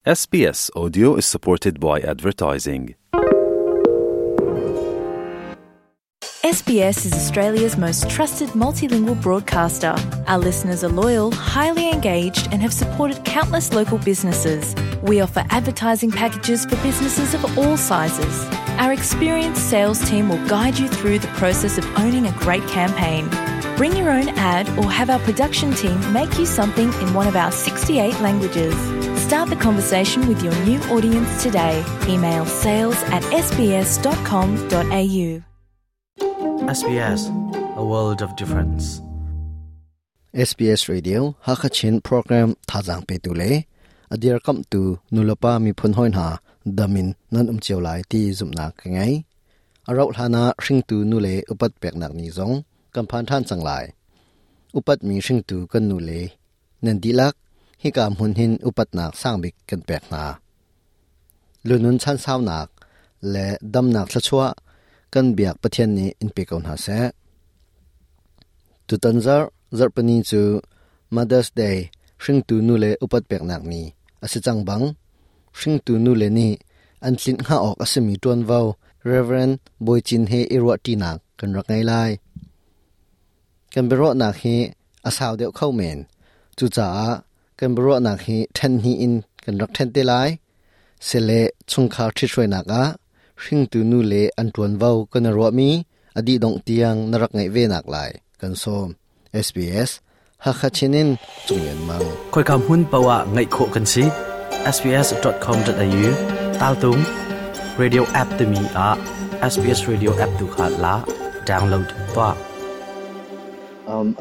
SBS Audio is supported by advertising. SBS is Australia's most trusted multilingual broadcaster. Our listeners are loyal, highly engaged, and have supported countless local businesses. We offer advertising packages for businesses of all sizes. Our experienced sales team will guide you through the process of owning a great campaign. Bring your own ad or have our production team make you something in one of our 68 languages. Start the conversation with your new audience today. Email sales at sbs.com.au. SBS, a world of difference. SBS Radio Hakachin program thazang pe tu le adir kam tu nulapa mi phun hoi hna damin nan um chiu lai ti zumna ka ngai aro hlana hringtu nu le upat peknak ni zong kan phan than chang lai upat mi hringtu kan nu le nan dilak hika hmun hin upatnak sangbik kan pek hna lunun chan saunak le damnak thlachua kan biak Pathian nih in pe ko hna seh. Tutan zarh zarhpini cu Mother's Day hringtu nu le upat peknak ni a si cang bang hringtu nu le nih an tlinh hnga awk a simi ṭuanvo Reverend Bawi Cin he i ruahṭinak kan rak ngei lai. Kan biaruahnak hi a sau deuh kho men. Cucaah kan biaruahnak hi ṭhen hnih in kan rak ṭhen te lai. Sile chungkhar ṭhithruainak ah hringtu nu le an ṭuanvo kan i ruahmi a dih dongh tiang na rak ngaih ve nak lai kan sawm. SBS Hakha Chin in Cung Lian Mang. Khoika hmun paoh ah ngaih khawh kan si. sbs.com.au taltung radio app timi ah SBS radio app tu kha la download tuah.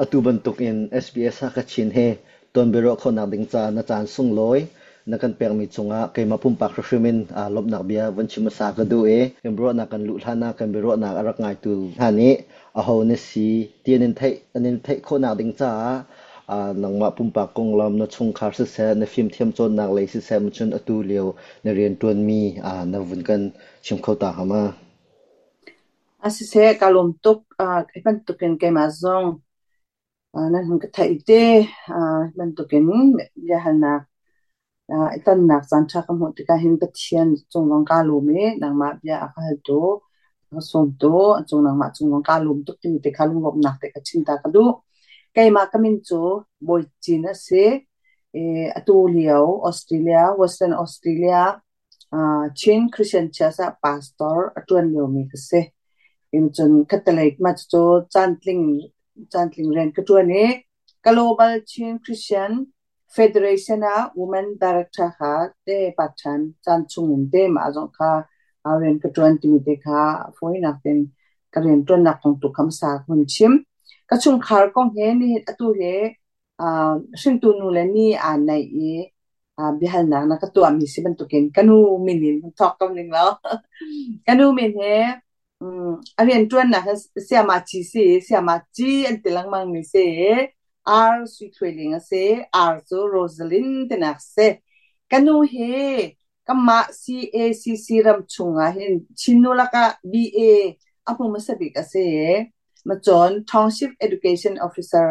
Atu bantuk in SBS Hakha Chin he tonbiaruah khawhnak ding ca na caan sunglawi na kan pekmi cungah keimah pumpak hrimhrim in lawmhnak bia von chim hmasa ka duh i kan biaruahnak kan luh hlan ah kan biaruahnak a rak ngaitu hna nih aho na si ti an in theih an in theih khawhnak ding caah nangmah pumpak konglam na chungkhar siseh na fimthiam cawnnak lei siseh cun atu lio na rianṭuanmi na vun kan chim kho ta hnga ma? Siseh ka lawm tuk. Hi bantukin keimah zong nan hun ka theih te. Hi bantukin biahalnak i tonnak caanṭha ka hmuh tikah hin Pathian cung zong kaa lawm i nangmah bia a ka haltu, a ka sawmtu, a cung nangmah cung zong kaa lawm tuk timi te kha lunglawmhnak te ka chim ta ka duh. Keimah ka min cu Bawi Cin a si. Atu lio Australia, Western Australia Chin Christian Church ah pastor a ṭuan liomi ka si. Cun khattelei mah cucu caantling caantling rian ka ṭuan i Global Chin Christian Federation ah Women Director kha te part-time caan chung in te mah zong kha rian ka ṭuan timi te kha fawinak tein ka rian ṭuannak kong tu kha hmasa ka hun chim. Ka chungkhar kong he nihin atu hi hringtu nu le ni aa naih i biahalnak na ka tuahmi si bantukin ka nu min in hun thawk ko ning law ka nu min he a rianṭuannak hi Siamaci si i Siamaci an ti lengmang mi si i R Sui Thluai Ling a si. R cu Rosalind tinak si. Ka nu hi kanmah CACC ram chungah hin Chin nu lakah BA a hmu hmasa bik a si i macawn Township Education Officer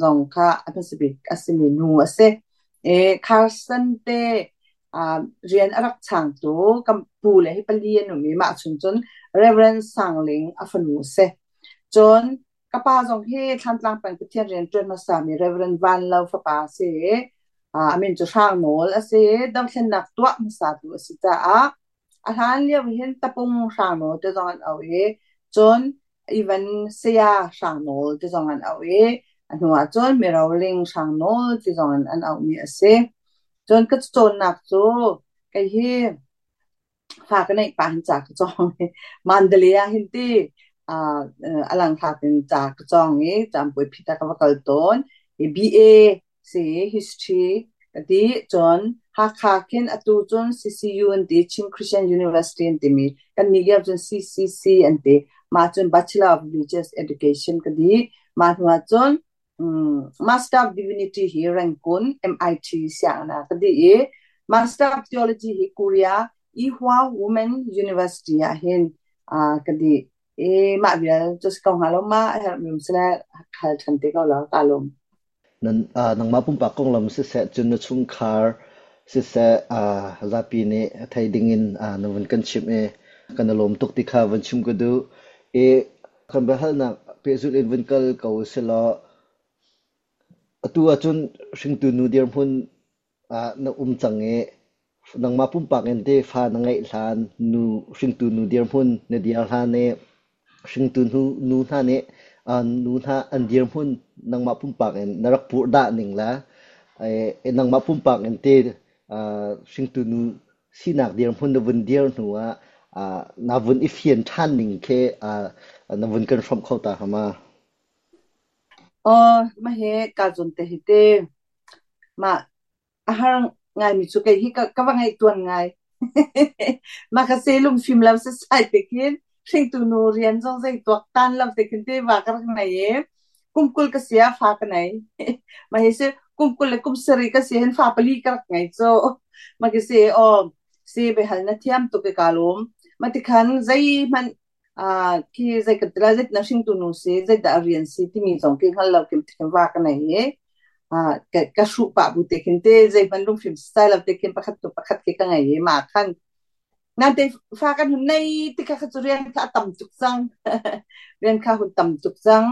zong kha a hmasa bik a simi nu a si. Carson te rian a rak changtu kan pu le hi pali an um i mah chung cun Reverend Sang Ling a fanu a si. Cun ka pa zong hi Thlantlang peng Pathian rian ṭuan hmasami Reverend Van Lo fapa a si i a min cu Hrang Nawl a si i dothlennak tuah hmasatu a si caah A hlan lio hin tapung hrangnawl ti zong an auh i cun even saya hrangnawl ti zong an auh i a hnu ah cun miroling hrangnawl ti zong in an auhmi a si. Cun ka cawnnak cu kei hi fa ka neih pah hin ca ka cawng i Mandalay ah hin ti a langthlak in ca ka cawng i campui phit ah ka va kal tawn i BA si history ka ti. Cun Hakha khin atu cun CCU an ti, Chin Christian University an timi. Kan nih lio cun CCC an ti. Mah cun Bachelor of Religious Education ka dih. Mah hnu ah cun Master of Divinity hi Rangoon MIT sianginn ah ka dih i Master of Theology hi Korea Ewha Women University ah hin ka dih. I mah vial cu si ko hnga lo ma a herhmi um sile hal ṭhan te ko law ka lawm. Nangmah pumpak konglam siseh, cun na chungkhar Siseh, zapi nih thei dingin na vun kan chimh i kan i lawm tuk ti kha vun chim ka duh. I kan biahalnak pehzulh in vun kal ko usilaw atu ahcun hringtu nu dirhmun ah na um cang i nangmah pumpak in teh fa na ngeih hlan nu hringtu nu dirhmun na dir hlan i hringtu nu hna nih nu hna an dirhmun nangmah pumpak in na rak purhdah ning le nangmah pumpak in te hringtu nu sinak dirhmun na vun dir hnu ah na vun i fian ṭhan ning khi na vun kan hrawmh kho ta hnga ma? Aw, mah hi kaa zawn te hi te. Mah a har ngaimi cu kei hi ka va ngaih tuan ngai. Mah ka se lungfim lo sasai te khin hringtu nu rian zong zei tuak tan lo te khin te va ka rak nei i kum 20 ka si ah fa ka nei. Mah hi si kum 20 le kum 7 ka si hin fa pali ka rak ngei cu. Mah ki si aw si behal na thiam tuk i ka lawm. Mah tikhan zeihmanh khi zei kan ti lai zei na hringtu nu si zeidah a rian si timi zong khi hngal lo kim thikim va ka nei i ka hruh pah bu te khin te zeihmanh lungfim style lo te khin pakhat tu pakhat khi ka ngei i ma khan nan te fa kan hun nei tikha kha cu rian kha a tam tuk cang rian kha hun tam tuk cang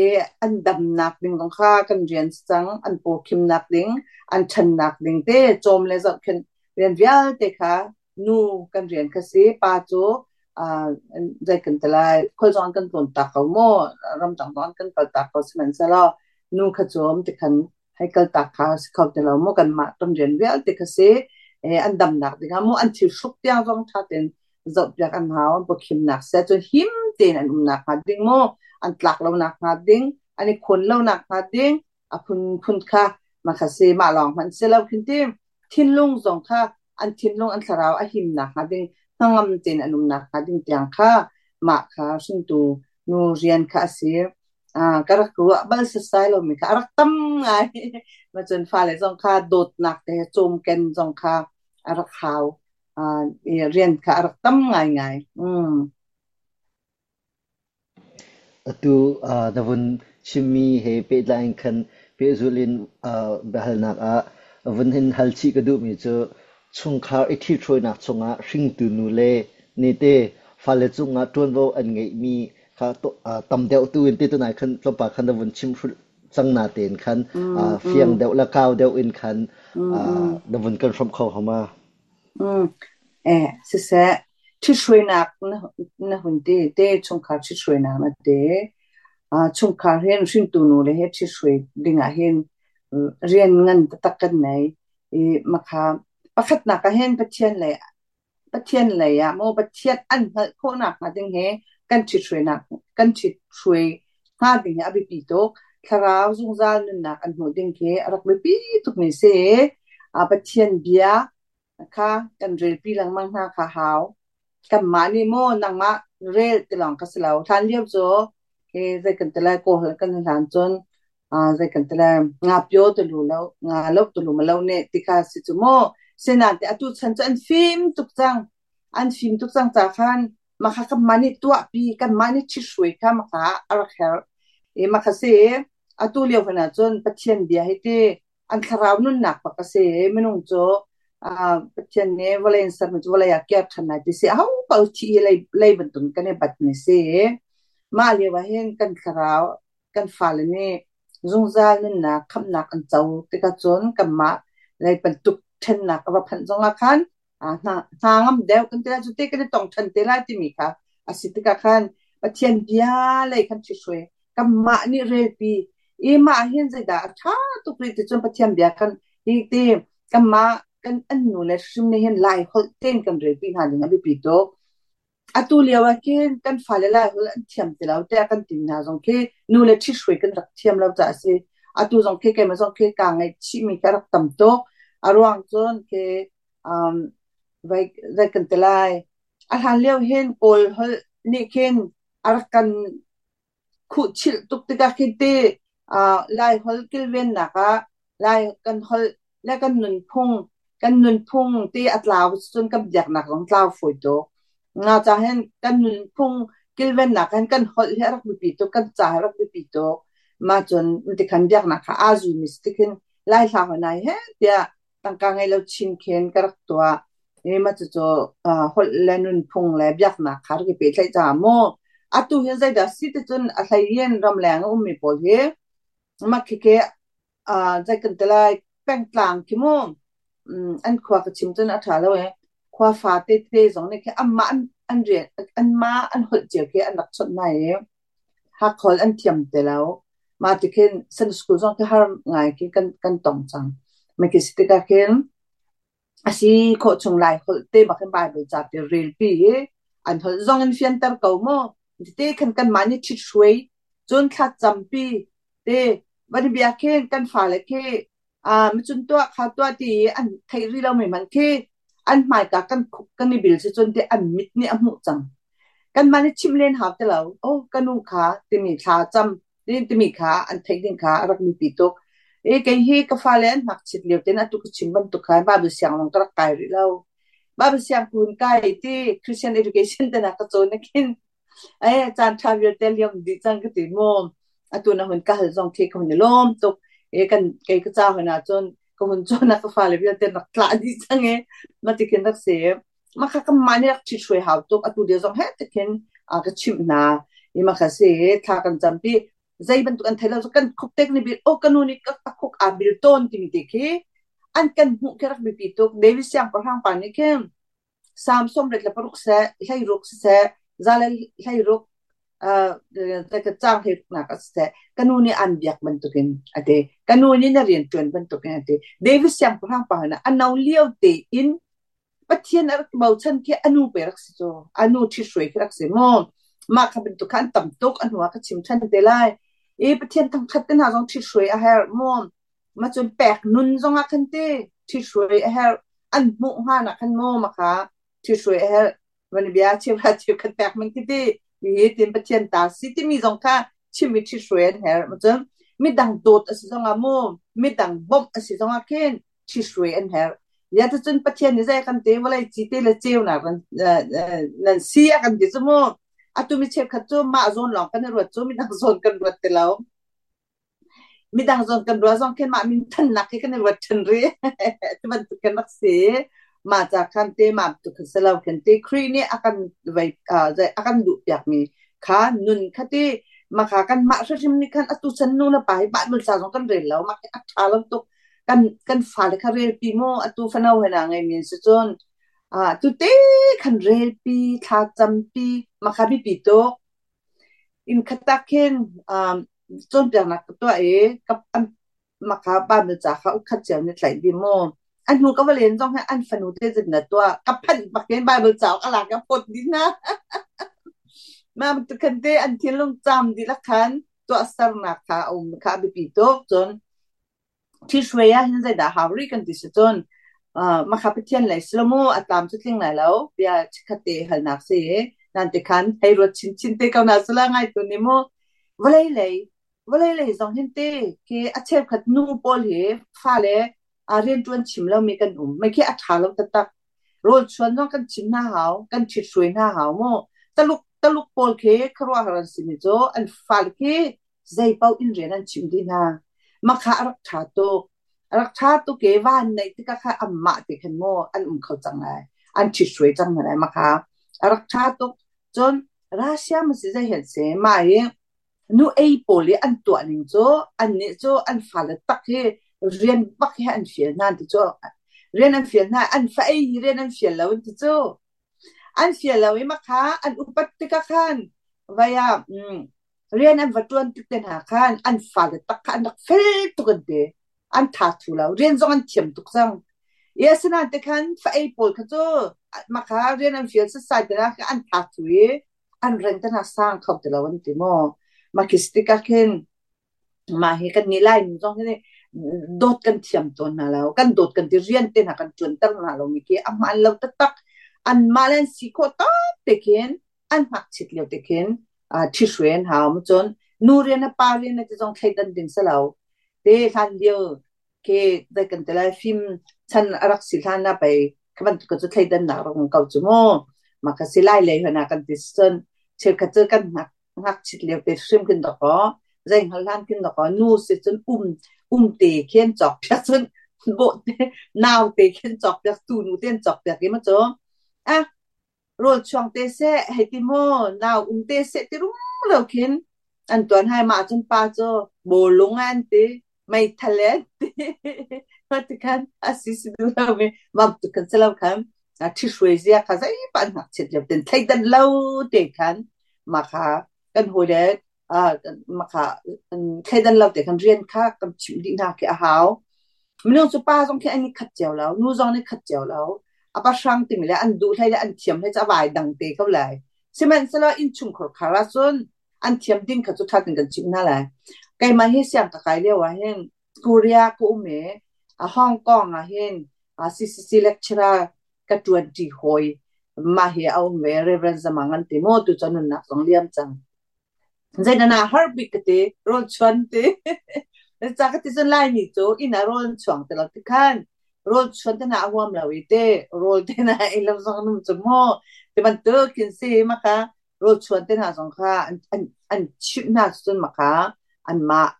i an damnak ding zong kha kan rian si cang an pawkhimnak ding an ṭhannak ding te cawm le zohkhenh rian vialte kha nu kan rian kha si. Pa cu zei kan ti lai, khualzong an kan tlawn tak ko maw, ramdang zong an kan kal tak ko sihmanhsehlaw nu kha cu tikhan hei kal tak kha si kho ti lo maw, kanmah kan rian vialte kha si. An damnak dingah maw, an thil hruk tiang zong ṭha tein zohpiak an hau, an pawkhimnak seh cun him tein an umnak hnga ding maw, an tlak lonak hnga ding, an i khawn lonak hnga ding, a phunphun kha mah kha si. Mah lawng hmanh si lo khin ti thinlung zong kha an thinlung an thlarau a himnak hnga ding hnangam tein an umnak hnga ding tiang kha mah kha hringtu nu rian kha a si. Ka rak ruah bal sasai lomi kha a rak tam ngai. Ma cun fale zong kha dawtnak te cawmken zong kha a rak hau. Rian kha a rak tam ngaingai. Atu na vun chimmi he pehtlai in khan pehzulh in biahalnak ah vun hin hal chih ka duhmi cu chungkhar i ṭhithruainak chungah hringtu nule nih te fale cungah ṭuanvo an ngeihmi kha tam deuh tu in te tunai khan tlawmpal khan na vun chim hrulh cang natein khan fiang deuh le kau deuh in khan na vun kan hrawmh kho hnga ma? Siseh, ṭhithruainak na hun ti te, chungkhar ṭhithruainak na ti. Chungkhar hin hringtu nu le he ṭhithruai dingah hin rian ngan taktak kan nei. I makha pakhatnak ah hin Pathian lei Pathian lei ah maw Pathian an hngalh khawhnak hnga ding hi kan ṭhithruainak kan ṭhithruai hnga ding hi a biapi tuk. Thlarau zungzal nunnak an hmuh ding khi a rak biapi tukmi si. Pathian bia kha kan relpi lengmang hna kha hau. Kanmah nih maw nangmah rel ti lawng kha si lo. Hlan lio cu hi zei kan ti lai kawl kan hlan cun zei kan ti lai nga pio tu lu lo nga lo tu lu ma lo ne ti kha si cu mu. Sinain te atu chan cu an fim tuk cang. An fim tuk cang ca khan Makha kanmah nih tuahpi, kanmah nih ṭhithruai kha makha a rak herh. I makha si atu lio hmanh ahcun Pathian bia hi ti an thlarau nunnak bak a si. Minung cu Pathian nih vawlei in sermi cu vawlei ah kir ṭhan lai ti si. Aho paoh thi hi lei, lei bantuk kan i batmi si. Mah lio ah hin kan thlarau, kan fale nih zungzal nunnak, khamhnak an co tikah cun kanmah lei bantuk ṭhennak a va phanh zongah khan hna ngam deuh kan ti lai cu te kan i tong ṭhan te lai timi kha a si tikah khan Pathian bia lei khan ṭhithruai kanmah nih relpi i mah hin zeidah a ṭha tuk rih ti cun Pathian bia kan hi ti kanmah kan an nu le hrim nih hin Lai holh tein kan relpi hna ding a biapi tuk. Atu lio ah khin kan fale Lai holh an thiam ti lo tiah kan ti hna zong khi nu le ṭhithruai kan rak thiam lo caah a si. Atu zong khi keimah zong khi kaa ngaihchihmi ka rak tam tuk. A ruang cun khi zei kan ti lai. A hlan lio hin Kawl holh nih khin a rak kan khuhchilh tuk tikah khin ti Lai holh kilvennak ah Lai kan holh le kan nunphung ti a tlau cun kan biaknak zong tlau fawi tuk. Nga ca hin kan nunphung kilvennak hin kan holh hi a rak biapi tuk, kan ca hi a rak biapi tuk. Mah cun tikhan biaknak kha aa zumi si tikhin Lai hla hoi nai he tiah Tangka ngei lo chin khin ka rak tuah. I mah cucu holh le nunphung le biaknak kha rak i pehtlaih caah mu. Atu hi zeidah si ticun a hlei in ramleng a ummi pawl hi mah khikhi zei kan ti lai, pengtlang khi mu, an khua ka chim cun a ṭha lo i khua fate tete zong nih khi anmah an rian anmah an holh cio khi an rak chawnh hna i Hakha holh an thiam ti lo. Mah ti khin Sunday school zong khi har ngai khi kan tong cang. Mah khi si tikah khin a si khawh chung Lai holh te bak in Bible ca te relpi i an holh zong in fianter ko mu. Tete khan kanmah nih ṭhithruai cun thlacampi te van i bia khin kan fale khi macun tuah kha tuah ti i an theih rih lomi hmanh khi an hmaika kan khuk kan i bil si cun ti an mit nih a hmuh cang. Kanmah nih chimh len hau ti lo. Oh, ka nu kha timi thla cam timi kha an theih ding kha a rak biapi tuk. I kei hi ka fale an ngakchit lio tein atu ka chim bantuk khan Bible siang lawng ka rak kai rih lo. Bible siang kun kai ti Christian education te na ka cawn na khin ai caan ṭha vialte liam dih cang ka ti mu. Atu na hun ka hal zong khi ka hun i lawm tuk. I kan kei ka ca hun ahcun ka hun cawn ah ka fale vialte rak tlah dih cang i ma ti khin rak si. Mah kha kanmah nih rak ṭhithruai hau tuk. Atu lio zong heh ti khin ka chimh hna. I mah kha si thla kan campi. Zei bantuk an thei lo kan khuk tek nih bil oh ka nu nih ka khuk aa bil tawn timi te khi an kan hmuh khi rak biapi tuk. David siangpahrang pa nih khin Psalm 36 seh, 16 siseh, za le 16 caang hleiruknak ah siseh, ka nu nih aan biak bantukin a ti. Ka nu nih na rian ṭuan bantukin a ti. David siangpahrang pa hna a no lio tein Pathian a rak bochan khi a nu pe rak si cu. A nu ṭhithruai khi rak si mu. Mah kha bantuk kha an tam tuk. A hnu ah ka chim ṭhan te lai. I Pathian thangṭhat te hna zong ṭhithruai a herh mu. Ma cun pek nun zong ah khan ti ṭhithruai a herh. An hmuh hnga nak khan mu ma kha ṭhithruai a herh. Van bia cheuhra cheukhat pek man khi ti. Hi tin Pathian ta si timi zong kha chim i ṭhithruai an herh. Ma cun midang dawt a si zong ah mu, midang bawmh a si zong ah khin ṭhithruai an herh. Ya cun Pathian nih zei kan te vawlei ci te le ceunak nan si a kan ti cu mu. Atu mi cheukhat cu mah zawn lawng kan i ruat cu midang zawn kan ruat ti lo. Midang zawn kan ruah zong khin mah min thannak khi kan i ruat ṭhan rih. Ti bantuk kan rak si. Mah ca khan te mah tu khan si lo khin te Khrih nih a kan vei a kan duh piakmi kha nun kha ti maka kan mah hrimhrim nih khan atu chan nu le pa hi Bible ca zong kan rel lo mah khi a ṭha lo tuk. Kan fale kha relpi maw atu fano he na ngeimi an si cun tute khan relpi thla campi makha biapi tuk. Inn khat ah khin cawnpiaknak ka tuah i makha Bible ca kha ukhat cio nih tlaih dih mu. A hnu ka va len zong hi an fanu te zin na tuah ka phanh bak in Bible cauk a lak i a phawt dih hna. Mah bantuk khan te an thinlung caam dihlak khan tuahsernak kha a um kha a biapi tuk. Cun Ṭhihruai ah hin zeidah hau rih kan ti si cun makha Pathian lei si lo mu, a tlam cu tling lai lo bia chikkhat te halnak si i nan ti khan hei ruat chinchin te ko na sala ngai tu ni mu. Vawlei lei vawlei lei zong hin te khi a cheukhat nu pawl hi fale rianṭuan chim lomi kan um mei khi a ṭha lo taktak. Rawl chuan zong kan chim hna hau, kan ṭhithruai hna hau mu. Taluk taluk pawl khi khuaruahhar an simi cu an fale khi zeipaoh in rian an chim dih hna. Makha a rak ṭha tuk. A rak ṭha tuk i van neih tikah kha anmah te khan maw an um kho cang lai. An ṭhithruai cang hna lai makha. A rak ṭha tuk. Cun Russia ma si zei hen si mah hi nu ei pawl i an tuah ning cu annih cu an fale tak hi rian bak hi an fial hna ti cu rian an fial hna an fa ei hi rian an fial lo an ti cu an fial lo i makha an upat tikah khan vai ah rian an va ṭuan tik te hna khan an fale tak kha an rak fel tuk an ti. An tha thu lo. Rian zong an thiam tuk cang. I asinain te khan fa ei pawl kha cu mah kha rian an fial setsai te kha an tha thu i an reng te hna sang kho ti lo an ti maw. Mah khi si tikah khin mah hi kan nih Laimi zong hi dawt kan thiam tawn hna lo. Kan dawt kan ti rian te hna kan ṭuanter hna lo mi khi a hmaan lo taktak. Anmah le an si khawh tawk te khin an ngakchit lio te khin ṭhihruai an hau. Cun nu rian le pa rian le ti zong thleidan ding si lo. Te hlan lio ke dai kan ti lai fim chan a rak si hlan ah pei kha bantuk cu thleidannak rak um ko cu mu. Mah kha si lai lei hna kan ti cun cheukhat cu kan ngakchit lio te hrim khin dawkaw zei hngal hlan khin dawkaw nu si cun um um te khin cawk piak cun Bawhte naute khin cawk piak tu nu te an cawk piak i ma cu ah rawl chuang te seh hei ti maw nau um te seh ti rum lo khin an tuan hai mah cun pa cu bawlung an ti meithal an ti ti khan asi si du lo mi mam tu kan si lo khan ṭhi hruai zia kha zeipa an ngakchiat lio ten thleidan lo te khan mah kha kan hawile mah kha thleidan lo te khan rian kha kan chimh dih hna khi a hau. Minung cu pa zong khi an i khat cio lo, nu zong nih khat cio lo. A pahrang timi le an duh hlei le an thiam hlei cu a vai dang te ko lai. Sihmanhsehlaw innchungkhar khar ahcun an thiam ding kha cu ṭha tein kan chimh hna lai. Keimah hi siang ka kai lio ah hin Korea ka um i Hong Kong ah hin CCC lecturer ka ṭuanṭi hawi mah hi a um ve Reverend Zamang an ti maw tu cu nunnak zong liam cang. Zeidah na har bik ka ti rawl chuan ti ca ka ti cun Laimi cu inn ah rawl an chuang ti lo ti khan rawl chuan te na a huam lo i te rawl te na ei lo zong num cu maw ti bantuk khin si maka rawl chuan te hna zong kha an chimh hna cun maka anmah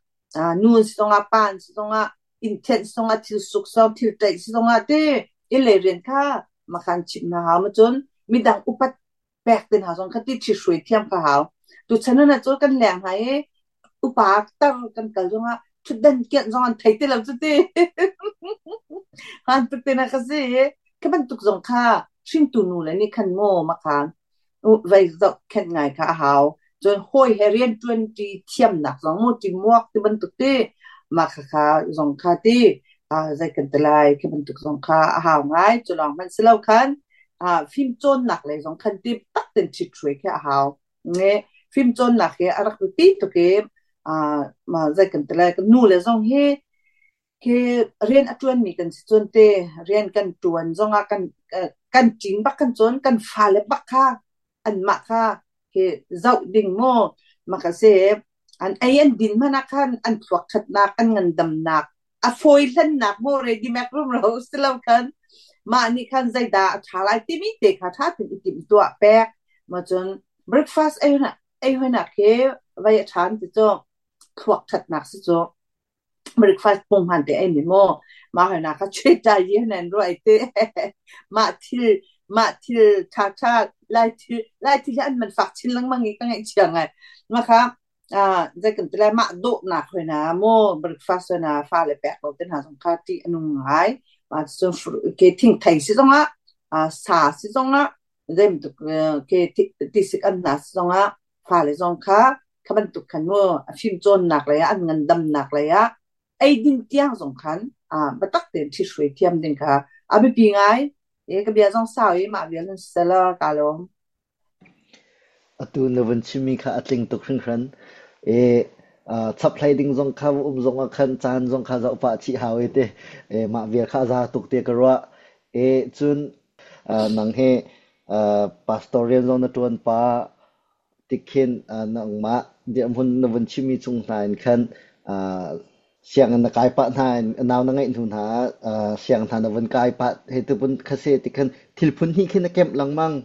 nu si zongah pa si zongah inn thianh zongah thil suk zong thil ṭaih si zongah ti inn lei rian kha makhan chimh hna hau ma cun midang upat pek te hna zong kha ti ṭhithruai thiam kha hau. Tuchan ah cu kan leng hna i upa tar kan kal zongah ṭhutdan kianh zong an thei ti lo cu ti. Han tuk te na ka si. Khi bantuk zong kha hringtu nu le nih khan maw makhan vei zoh khenh ngai kha a hau. Cun hawi he rian ṭuan ṭi thiamnak zong mu teamwork ti bantuk ti mah khakha zong kha ti zei kan ti lai khi bantuk zong kha a hau ngai. Cu lawng hmanh si lo khan fimcawnnak lei zong khan ti tak ten ṭhithruai khi a hau. Nge fimcawnnak hi a rak biapi tuk i zei kan ti lai nu le zong hi khi rian a ṭuanmi kan si cun te rian kan ṭuan zongah kan kan ṭin bak kan cun kan fale bak kha anmah kha khi zoh ding maw maka si an ei an din hmanh ah khan an thluak ṭhatnak an ngandamnak a fawi hlannak maw ready mek rumro si lo khan mah nih khan zeidah a ṭha lai timi te kha ṭha tein i timhtuah pek ma cun breakfast ei ei hoinak khi vai a ṭhan ti cu thluak ṭhatnak si cu breakfast pung hman te ei mi maw mah hoinak kha chuai ta yi nan ruai te mah thil mah thil ṭha ṭha lai thil lai thil hi an man fak chin lengmang i ka ngaihchia ngai ma kha zei kan ti lai mah dawhnak hoi na maw breakfast hoi na fale pek lo te hna zong kha ṭih a nung ngai. Mah cun ke thingthei si zongah sa si zongah zei bantuk ke tisik an hna si zongah fale zong kha kha bantuk khan mu a fimcawnnak lei ah an ngandamnak lei ah eidin tiang zong khan biatak tein ṭhithruai thiam ding kha a biapi ngai. E ka bia zong sau i mah vial in siseh kaa lawm. Atu na vun chimmi kha a tling tuk hringhran. I chaphlei ding zong kha um zong ah khan caan zong kha zoh pah chih hau i ti. Mah vial kha a za tuk tiah ka ruah. I cun nang hi pastor rian zong na ṭuan pah tikhin nangmah dirhmun na vun chimmi cung hna in khan sianginn na kai pah hna in nau na ngeih hnu hna ah siang hna na vun kai pah hei tu pun kha si tikhin thil phun hnih khin na kemh lengmang.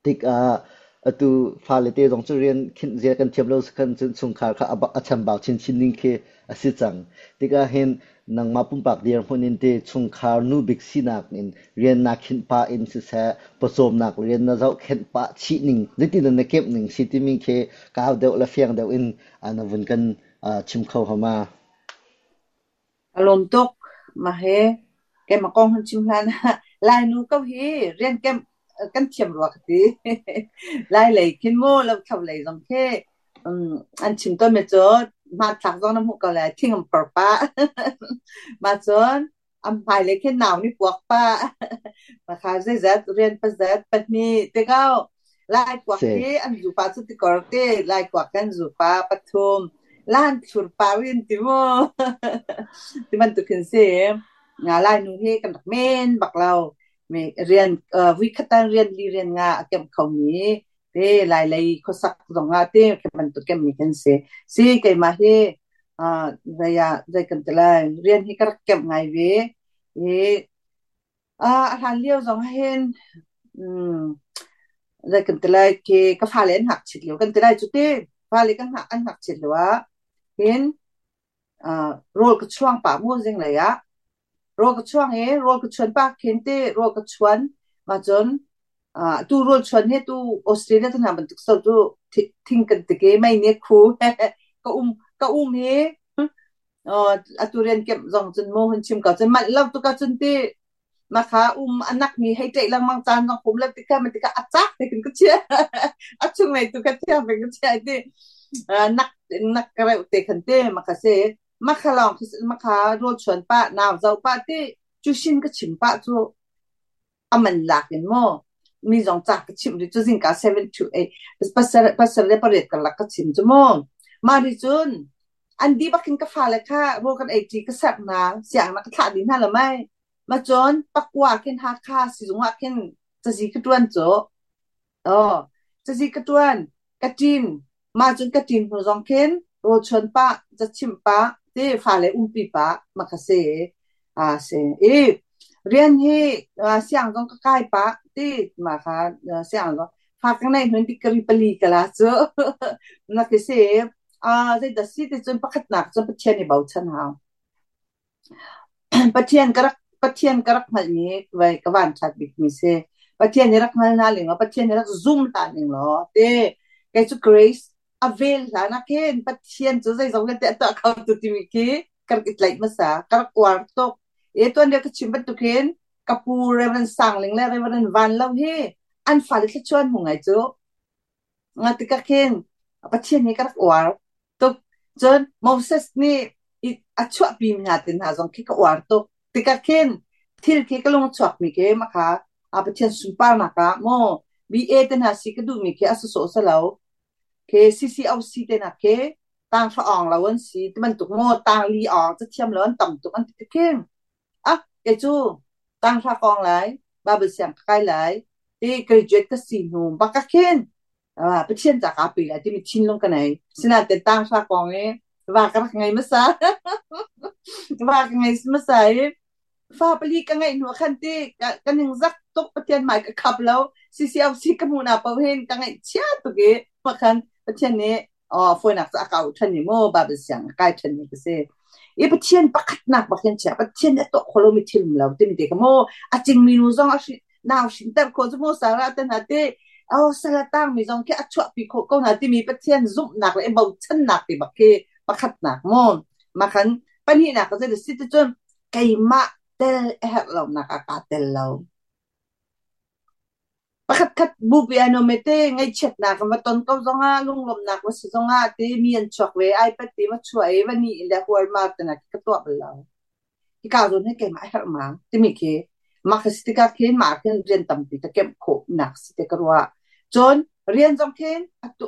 Tikah atu fale te zong cu rian khinh zia kan thiam lo si khan cun chungkhar kha a chambau chinchin ning khi a si cang. Tikah hin nangmah pumpak dirhmun in te chungkhar nu bik sinak in rian naa khinh pah in siseh, pawcawmnak rian na zohkhenh pah chih ning, zeitin na kemh ning si timi khi kau deuh le fiang deuh in na vun kan chim kho hama. Ka lawm tuk. Mah hi keimah kong hun chim hlan ah Lainu ko hi rian kem kan thiam rua ka ti. Lai lei khin mu lothlo lei zong khi an chim tawnmi cu hmanthlak zong na hmuh ko lai thing an por pah. Mah cun an hmailei khi nau nih puak pah. Mah kha zeizat rian pazat pahnih te ko. Lai kuak Si. hi an zupa cu tikor te Lai kuak kan zupa pathum lan thlur pau in ti mu ti bantuk khin si nga Lai nu hi kan rak men bak lo mi rian vui khatan rian li rian nga a kem kho mi te Lai lei khuasak zong ah te khi bantuk kem mi kan si si keimah hi zei ah zei kan ti lai rian hi ka rak kem ngai ve i A hlan lio zong ah hin zei kan ti lai khi ka fale an ngakchit lio kan ti lai cu ti. Fale kan hngak an ngakchit lio ah hin rawl ka chuang pah mu zinglei ah. Rawl ka chuang i rawl ka chuan pah khin te rawl ka chuan ma cun tu rawl chuan he tu Australia te hna bantuk so cu thing kan tike mei ne khu ka um ka um hi atu rian kemh zong cun mu hun chim ko cun manh lo tuk ahcun ti makha um anak mi hei ṭeih lengmang caan zong kum lo tikha ma tikha a cak te kin ka chia a chung lei tu ka thiam ka chia ti nak nak ka reuh te khan te makha se makha lawng makha rawl chuan pa nau zo pa ti cu shin ka chim pa cu a man lak in maw mi zong ca ka chimh rih cu zingka 7 to 8 pasal pasal le pariat karlak ka chim cu mu mah nih cun an dih bak in ka fale kha rawl kan ei ṭi ka serh hna sianginn ah ka thlah dih hna lo mei ma cun pakua khin Hakha sizung ah khin cazi ka ṭuan cu aw cazi ka ṭuan ka ṭin mah cun ka ṭin hnu zong khin rawl chuan pah ca chimh pah ti fale umpi pah ma kha si a si i rian hi siang zong ka kai pah ti mah kha siang zong fa ka nei hnun degree pali ka la cu na khi si a zeidah si ti cun pakhatnak cun Pathian i bochan hau. Pathian ka rak Pathian ka rak hngalhmi vai ka van ṭhat bikmi si. Pathian hi rak hngal hna ning law Pathian hi rak zum hlah ning law ti kei cu grace a vel hlan ah khin Pathian cu zeizong vialte a tuah kho tu timi khi ka rak i tlaih hmasa ka rak uar tuk. E tuan lio ka chim bantuk hin ka pu Reverend Sangling le Reverend Van Lo hi an fale thluachuan hmu ngai cu. Nga tikah khin Pathian hi ka rak uar tuk. Cun Moses nih a chuahpi mi hna te hna zong khi ka uar tuk. Tikah khin thil khi ka lung a chuakmi khi makha a Pathian sunparnak ah maw BA te hna si ka duhmi khi a sawsawh si lo. Khi CCOC te hna khi tang hra awng lo an si ti bantuk maw tang li awng cathiam lo an tam tuk an ti tikhin ah kei cu tang hra kawng lai Bible siang ka kai lai ti graduate ka si hnu bak ah khin Pathian ca kaa pe lai timi thinlung ka nei. Sinain tang hra kong i va ka rak ngei hmasa. Va ka ngei hmasa i fa pali ka ngeih hnu ah khan ti ka ningzak tuk Pathian hmai ka khap lo. CCOC ka hmuh na paoh hin ka ngaihchia tuk i khan Pathian nih fawinak cu a kau ṭhan i mu Bible siang a kai ṭhan mi ka si. I Pathian pakhatnak bak hin chia Pathian nih a tuah kho lomi thil um lo timi te kha mu a cingmi nu zong a hrin nau hrinter khawh cu mu Sarah te hna ti oh sal a tangmi zong khi a chuahpi khawh ko hna timi Pathian zumhnak le i bochannak ti bak khi pakhatnak mu makhan pahnihnak ka zei si ti cun keimah tel a herh lonak ah kaa tel lo. Pakhatkhat bupi ai nuam te ngaihchiatnak va ton ko zongah lunglawmhnak va si zongah ti mi an chuak ve iPad ti va chuah i va ni le hualmar te na ka tuah bal lo. Hika zawn hi keimah a herh ma timi khi mah ka si tikah khin mah khin rian tampi ka kemh khawh nak si te ka ruah. Cun rian zong khin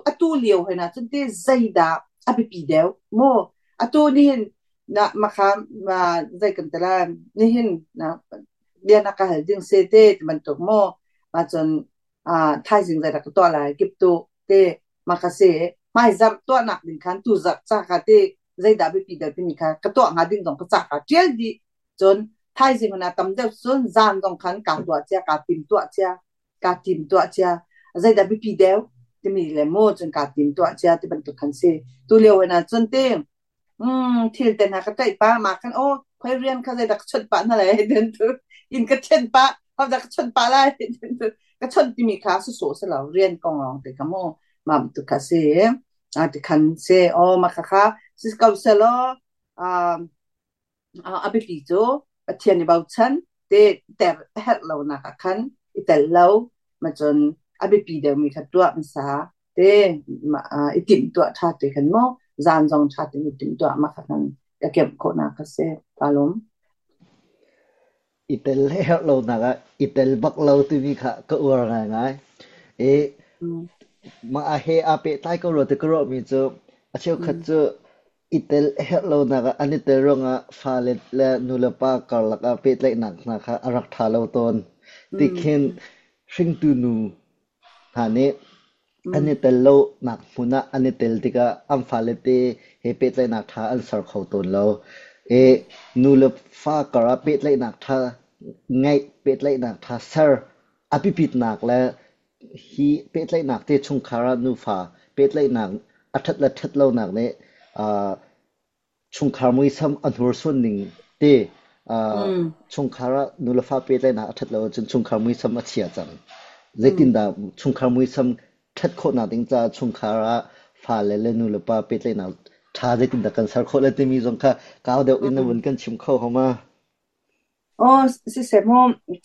atu lio he na cun ti zeidah a biapi deuh mu atu nihin na makha ma zei kan ti lai nihin na bia na ka hal ding se te ti bantuk mu ma cun thaizing zei dah ka tuah lai kip tu te ma ka si hmai zarh tuahnak ding khan tu zarh ca kha te zeidah biapi deuh timi kha ka tuah hnga ding zong ka ca kha ṭial dih cun thaizing na tam deuh cun zan zong khan kaa tuah cia kaa tim tuah cia kaa tim tuah cia zeidah biapi deuh timi le mu cun kaa tim tuah cia ti bantuk khan si tu lio na cun te thil te hna ka ṭaih pah mah khan aw khoi rian kha zeidah ka chawnh pah hna lai den tu in ka ṭhen pah hodah ka chawnh pah lai den tu ka chawnh timi kha sawsawh si lo rian kong lawng te kha mu mah bantuk kha si a ti khan si aw mah kha kha si ko selaw a biapi cu Pathian i bochan te ter a herh lonak ah khan i tel lo ma cun a biapi deuhmi kha tuah hmasa te i timhtuah ṭha te khan maw zan zong ṭha tein i timhtuah mah kha khan ka kemh khawhnak kha si ka lawm. I tel herh lonak ah i tel bak lo timi kha ka uar ngaingai. I mah ah he aa pehtlai ko rua ti ka ruahmi cu a cheukhat cu i tel herh lonak ah an i tel ruangah fale le nulepa karlak ah pehtlaihnak hna kha a rak ṭha lo tawn. Tikhin hringtu nu hna nih an i tel lonak hmun ah an i tel tikah an fale te he pehtlaihnak ṭha an ser kho tawn lo. I nu le fa kar ah pehtlaihnak ṭha ngeih, pehtlaihnak ṭha ser a biapitnak le hi pehtlaihnak te chungkhar ah nufa pehtlaihnak a ṭhat le ṭhat lonak nih chungkhar muisam a hnursuan ning te Chungkhar ah nulefa pehtlaihnak a ṭhat lo ahcun chungkhar muisam a chia cang. Zeitindah chungkhar muisam ṭhat khawhnak ding caah chungkhar ah fale le nulepa pehtlaihnak ṭha zeitindah kan ser khawh le timi zong kha kau deuh in na vun kan chim kho homa? Aw, siseh mu,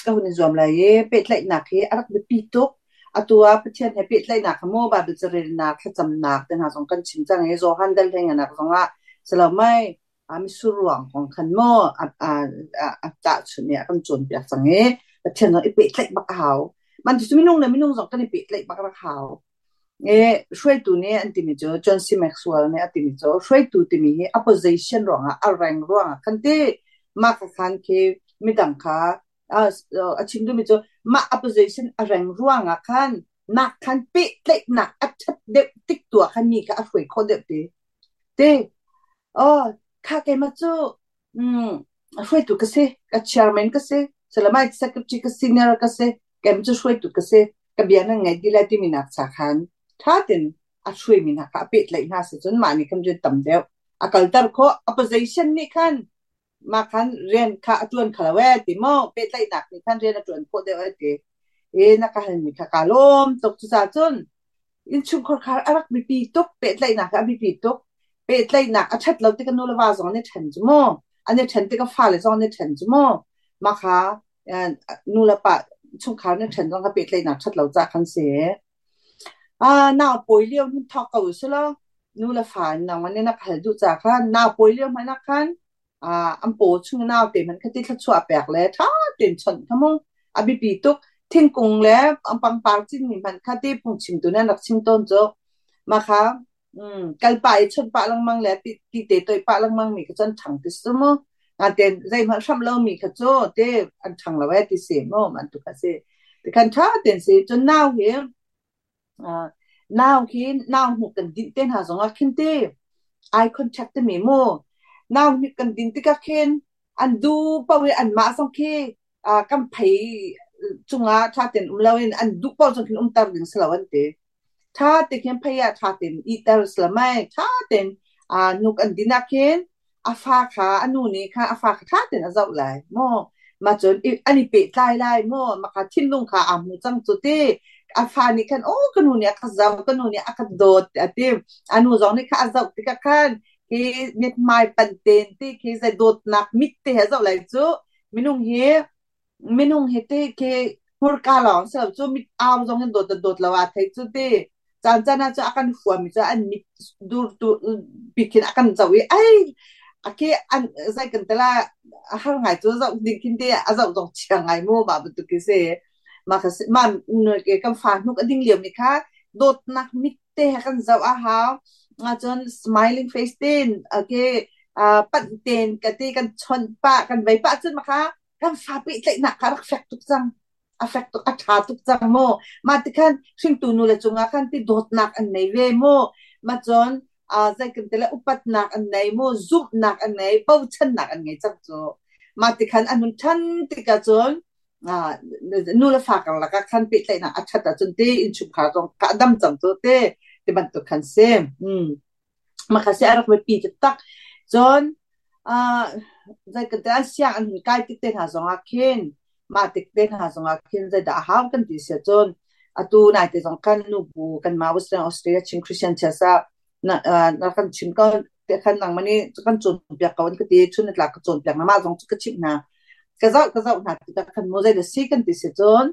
ka hun i zuam lai i pehtlaihnak hi a rak biapi tuk. Atu ah Pathian he pehtlaihnak kha mu Baibal carelnak, thlacamnak te hna zong kan chim cang i Johan dal hleinganak zong ah si lo mei, mitsur ruang kong khan mu a tahchunh i a kan cawnpiak cang i Pathian zong i pehtlaih bak a hau. Man cu minung le minung zong kan i pehtlaih bak a hau. Hruaitu nih an timi cu John C. Maxwell nih a timi cu hruaitu timi hi a position ruangah a rank ruangah khan ti mah kha khan khi midang kha a chim duhmi cu mah a position a rank ruangah khan nak khan pehtlaihnak a ṭhat deuh tik tu ah khan mi kha a hruai khawh deuh ti. Ti oh kha keimah cu hruaitu ka si, ka chairman ka si, salamai secretary ka senior ka si, keimah cu hruaitu ka si, ka bia nan ngaih dih lai timi nak cha khan ṭha tein a hruaimi hna kha a pehtlaih hna si cun mah nih khan rian tam deuh a kalter khawh. A position nih khan mah khan rian kha a ṭuan kho lo ee ti maw, pehtlaihnak nih khan rian a ṭuan khawh deuh ee ti. E na ka halmi kha kaa lawm tuk. Cucaah cun innchungkhar kha a rak biapi tuk, pehtlaihnak a biapi tuk. Pehtlaihnak a ṭhat lo tikah nu le va zong an i ṭhen cu mu, an i ṭhen tikah fale zong an i ṭhen cu mu. Mah kha nu le pa chungkhar an i ṭhen zong kha pehtlaihnak ṭhat lo caah khan si. Nau pawi lio hin thawk ko u sih law nu le fa nangmah nih na ka hal duh caah khan nau pawi lio hmanh ah khan an paw chung naute hmanh kha ti thluachuah pek le ṭha tein chawnh kha mu a biapi tuk. Thingkung le pangpar cinmi hmanh kha ti phungchimtu nih an rak chim tawn cu. Mah kha kal pah i chawnh pah lengmang le ti te toih pah lengmang mi kha cu an ṭhang ti si mu. Natein zeihmanh hramh lomi kha cu te an ṭhang lo ee ti si mu man tu kha si. Tikhan ṭha tein si. Cun nau hi nau khi nau hnuk kan dinh te hna zongah khin ti eye contact timi mu nau hnuk kan din tikah khin an du paoh i anmah zong khi kan phei cungah ṭha tein um loin an duh paoh zong khin umter ding si lo an ti. Ṭha te khin phei ah ṭha tein ihter si lo mei ṭha tein hnuk an din ah khin a fa kha a nu nih kha a fa kha ṭha tein a zoh lai maw. Mah cun an i pehtlai lai maw, mah kha thinlung kha aa hmu cang cu ti. A fa nih khan aw ka nu nih a ka zoh, ka nu nih a ka dawt a ti. A nu zong nih kha a zoh tikah khan khi mithmai panh tein ti khi zei dawtnak mit te he zoh lai cu. Minung hi ti khi hmurka lawng si lo cu, mit au zong in dawt dawt lo aa thei cu ti. Caan caan ah cu a kan huami cu an mit dur tu bik khin a kan zoh i ai a khi an zei kan tela a har ngai cu zoh ding khin te a zoh zong chia ngai mu mah bantuk khi si. Mah kha si mah kan fa hnuk a ding lio mi kha dawtnak mit te he kan zoh a hau. Cun smiling face ten okay panh ten ka ti kan chawnh pah kan vei pah cun mah kha kan fa pehtlaihnak kha rak fek tuk cang, a fek tuk, a ṭha tuk cang mu. Mah ti khan hringtu nu le cungah khan ti dawtnak an nei ve mu. Mah cun zei kan ti le upatnak an nei mu, zumhnak an nei, bochannak an ngei cang cu. Mah ti khan an hun ṭhan tikah cun nu le fa karlak ah khan pehtlaihnak a ṭhat ahcun ti innchungkhar zong kha a dam cang cu ti ti bantuk khan si. Mah kha si a rak biapi taktak. Cun zei kan ti siang an hun kai tik te hna zong ah khin mah tik te hna zong ah khin zeidah a hau kan ti si ahcun atu naite zong khan nubu kanmah Western Australia Chin Christian Church ah na na kan chim ko te khan nangmah nih kan cawnpiak ko an ka ti. Chun ni tlak ka cawnpiak hna, mah zong cu ka chimh hna, ka zoh hna tikah khan mu zei dah si kan ti si cun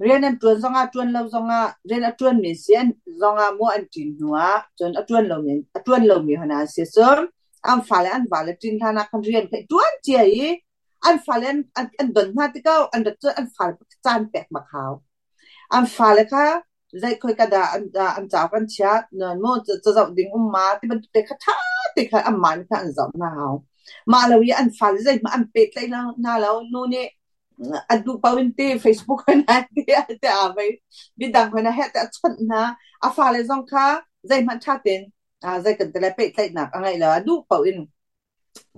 rian an ṭuan zongah ṭuan lo zongah rian a ṭuanmi si an zongah mu an ṭin hnu ah cun a ṭuan lomi a ṭuan lomi hna an si cun an fale an vale ṭin hlan ah khan rian kha i ṭuan cia i an fale an don hna tikah an rat cun an fale caan pek bak hau. An fale kha zei khoi ka dah an cauk an chiah mu cazoh ding um ma ti bantuk te kha ṭha te kha anmah nih khan an zoh hna hau. Mah lo i an fale zeihmanh an pehtlaih hna lo, nu nih an duh paoh in ti Facebook hna ti te a vei midang hna he te a chawnh hna, a fale zong kha zeihmanh ṭha tein zei kan ti le pehtlaihnak a ngeih lo, a duh paoh in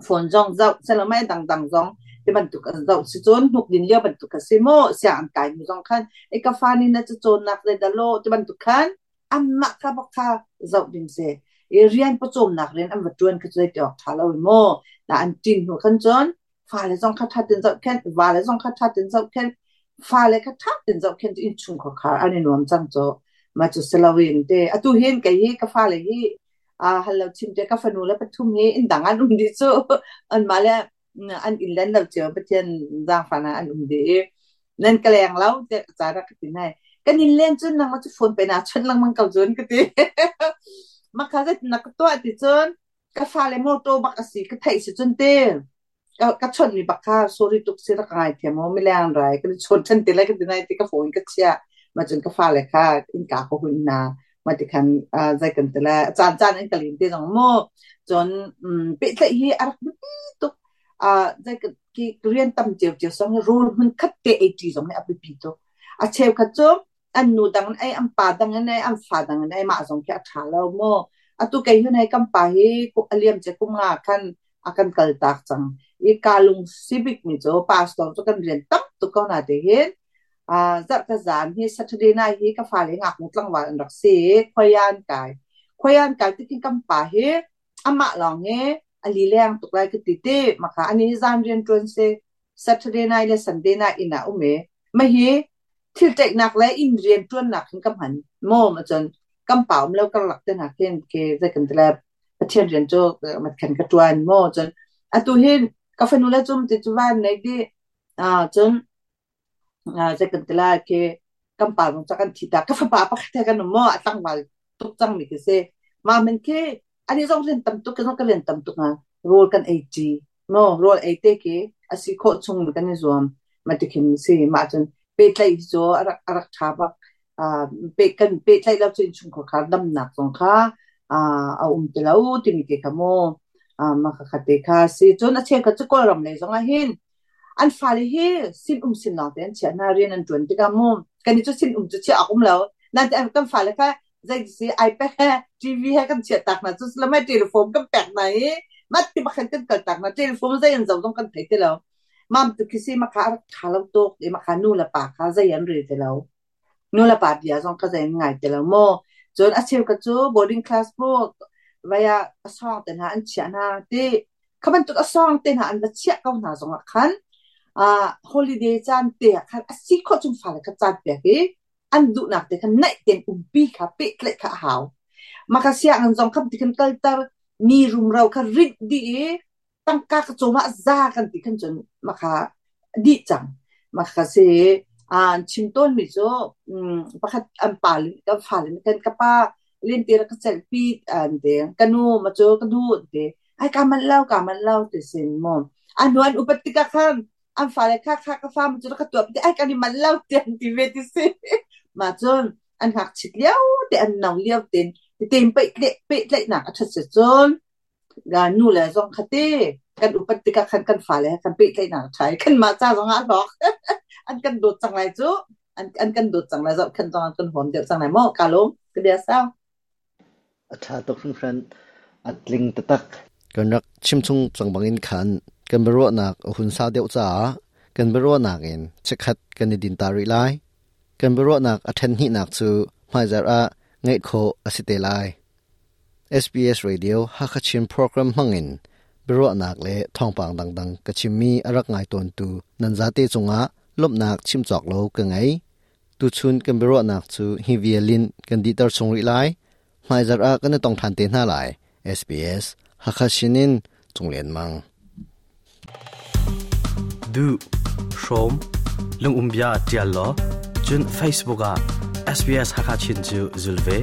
phone zong zoh selomai dangdang zong ti bantuk an zoh si cun hnuk din lio bantuk a si maw, siang an kai hnu zong khan e ka fa nih na cacawnnak zei dah law ti bantuk khan anmah kha bak kha zoh ding si. I rian pawcawmnak rian an va ṭuan kha cu zei ti awk ṭha lo i maw na an ṭin hnu khan cun fale zong kha ṭha tein zohkhenh, vale zong kha ṭha tein zohkhenh, fale kha ṭha tein zohkhenh cu innchungkhar khar an i nuam cang cu. Mah cu si loin te atu hin kei hi ka fale hi hal lo chim te ka fanu le pathum hi inn dang an um dih cu. Anmah le an inn len lo cio Pathian zaangfahnak an um dih i nan ka leng lo tiah ka ca rak ka ti nai. Kan in len cun nangmah cu phone pe na chawnh lengmang ko cun ka ti. Mah kha zeitin na ka tuah ti cun ka fale motor bak a si ka theih si cun te ka chawnh mi bak kha sorry tuk si rak ngai thiam o mileng rai kan chawn than te lai ka ti nai ti ka phone ka chiah. Ma cun ka fale kha innka ka hun hna. Ma ti khan zai kan ti le caan caan in ka lin te zong mu. Cun pehtlaih hi a rak biapi tuk. Zai ki rian tam cio cio song rawl hmun khat te ei ṭi zong hi a biapi tuk. A cheukhat cu an nu dang in ei, an pa dang in ei, an fa dang in ei, mah zong khi a ṭha lo mu. Atu kei hun hei kan pa hi a liam cia kum nga khan a kan kal tak cang. I ka lung si bik mi cu pastor cu kan rian tam tuk ko na te hin zarh ka zan hi Saturday night hi ka fale ngaknu tlangval an rak si i khuaian kai. Khuaian kai tikin kan pa hi amah lawng hi a lileng tuk lai ka ti ti maka ani hi zan rian ṭuan si Saturday night le Sunday night inn ah um i mah hi thil ṭaihnak le inn rian ṭuannak hin ka hman maw ma cun kan pa um lo karlak te hna khin ke zei kan ti le Pathian rian cu mat khan ka ṭuan maw cun atu hin ka fanu le cum ti cu van nei di cun zei kan ti lai khi kan pa zong ca kan thi ta ka fapa pakhat he kan um maw a tlangval tuk cang mi khi si mah men khi ani zong rian tam tuk ka rian tam tuk nga rawl kan ei ṭi maw rawl ei te khi a si khawh chung kan i zuam ma ti khin si mah cun pehtlaih cu a rak ṭha bak pe kan pehtlaih lo cu innchungkhar kha damnak zong kha a um ti lo timi te kha mu mah kha te kha si cun a cheukhat cu Kawlram lei zong ah hin An fale hi sinum sin lawngte an chiah hna, rian an ṭuan tikah mu kan i cu sinum cu chiah awk um lo. Nain kan fale kha zeiti iPad he TV he kan chiah tak hna cu lamai telephone kan pek hna i mat ti bakhan kan kal tak hna telephone zei an zoh zong kan thei ti lo. Mam tu khi si makha a rak ṭha lo tuk i makha nu le pa kha zei an rel ti lo. Nu le pa bia zong kha zei an ngai ti lo mu. Cun a cheukhat cu boarding class bu vai ah a sawng te hna an chiah hna ti Kha bantuk a sawng te hna an va chiah ko hna zongah khan holiday caan te ah khan a si khawh chung fale kha caan pek i an duhnak te khan naih tein umpi kha pehtlaih kha a hau. Mah kha sianginn zong kha ti khan kalter mi rumro kha rinh dih i tangka ka cawm ah za kan ti khan cun mah kha dih cang. Mah kha si an chim tawnmi cu pakhat an pa le kan fale nih khan ka pa lente rak ka celhpi an ti. Ka nu ma cu ka duh an ti. Ai ka manh lo, ka manh lo ti sin mu. A hnu an upat tikah khan an fale kha kha ka fa mu cu ka tuah ti ai kan i manh lo ti an ti ve ti si. Mah cun an ngakchit lio te an no lio ten tein pehtlaihnak a ṭhat si cun nu le zong kha te kan upat tikah khan kan fale kan pehtlaihnak a ṭha i kanmah ca zong ah a hlawk. An kan dawt cang lai cu. An kan dawt cang lai zoh khan zong an kan huam deuh cang lai maw ka lawm ka bia sau. A ṭha tuk hringhran. A tling taktak. Kan rak chimchung cang bangin khan kan biaruahnak a hun sau deuh caah kan biaruahnak in chikkhat kan i din ta rih lai. Kan biaruahnak a ṭhen hnihnak cu hmaizarh ah ngaih khawh a si te lai. SBS Radio Hakha Chin program hmangin biaruahnak le thawngpang dangdang ka chimmi a rak ngai tawntu nan zate cungah lawmhnak chim cawk lo ka ngei. Tuchun kan biaruahnak cu hi vial in kan dihter chung rih lai. Hmaizarh ah kan i tong ṭhan te hna lai. SBS Hakha sinin Cung Lian Mang. Duh, hrawm, lungum bia ṭial law, cun Facebook ah SBS Hakha Chin cu zul ve.